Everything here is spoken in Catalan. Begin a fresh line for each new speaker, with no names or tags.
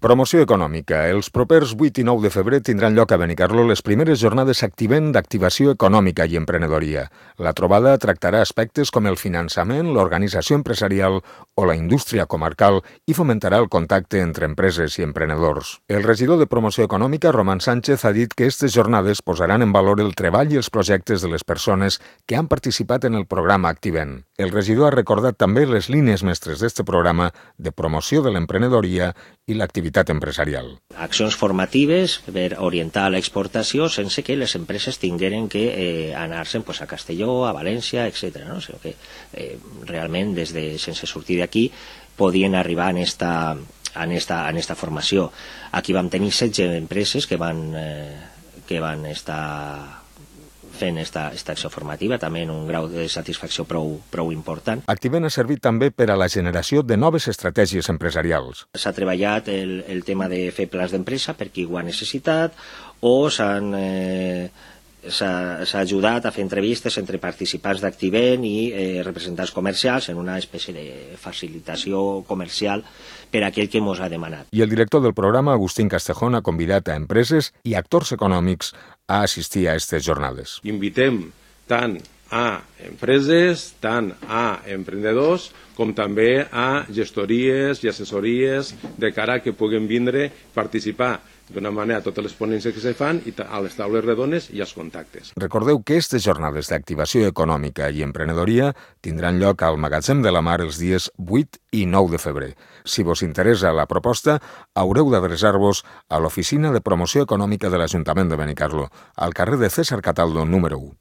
Promoció econòmica. Els propers 8 i 9 de febrer tindran lloc a Benicarló les primeres jornades Activent d'activació econòmica i emprenedoria. La trobada tractarà aspectes com el finançament, l'organització empresarial o la indústria comarcal i fomentarà el contacte entre empreses i emprenedors. El regidor de Promoció Econòmica, Roman Sánchez, ha dit que aquestes jornades posaran en valor el treball i els projectes de les persones que han participat en el programa Activent. El regidor ha recordat també les línies mestres d'aquest programa de promoció de l'emprenedoria i l'activitat empresarial.
Accions formatives per orientar l'exportació sense que les empreses tingueren que anar-se'n a Castelló, a València, etc. No? O sigui que realment sense sortir d'aquí podien arribar en esta formació. Aquí vam tenir 16 empreses que van estar fent esta acció formativa, també en un grau de satisfacció prou important.
Activent ha servit també per a la generació de noves estratègies empresarials.
S'ha treballat el tema de fer plans d'empresa per qui ho ha necessitat o s'ha ajudat a fer entrevistes entre participants d'Activent i representants comercials en una espècie de facilitació comercial per a aquell que ens ha demanat.
I el director del programa, Agustín Castejón, ha convidat a empreses i actors econòmics a assistir a aquestes jornades.
Invitem tant a empreses, tant a emprenedors, com també a gestories i assessories de cara a que puguin vindre participar d'una manera a totes les ponències que se fan i a les taules redones i als contactes.
Recordeu que aquestes jornades d'activació econòmica i emprenedoria tindran lloc al Magatzem de la Mar els dies 8 i 9 de febrer. Si vos interessa la proposta, haureu d'adreçar-vos a l'Oficina de Promoció Econòmica de l'Ajuntament de Benicarló, al carrer de César Cataldo, número 1.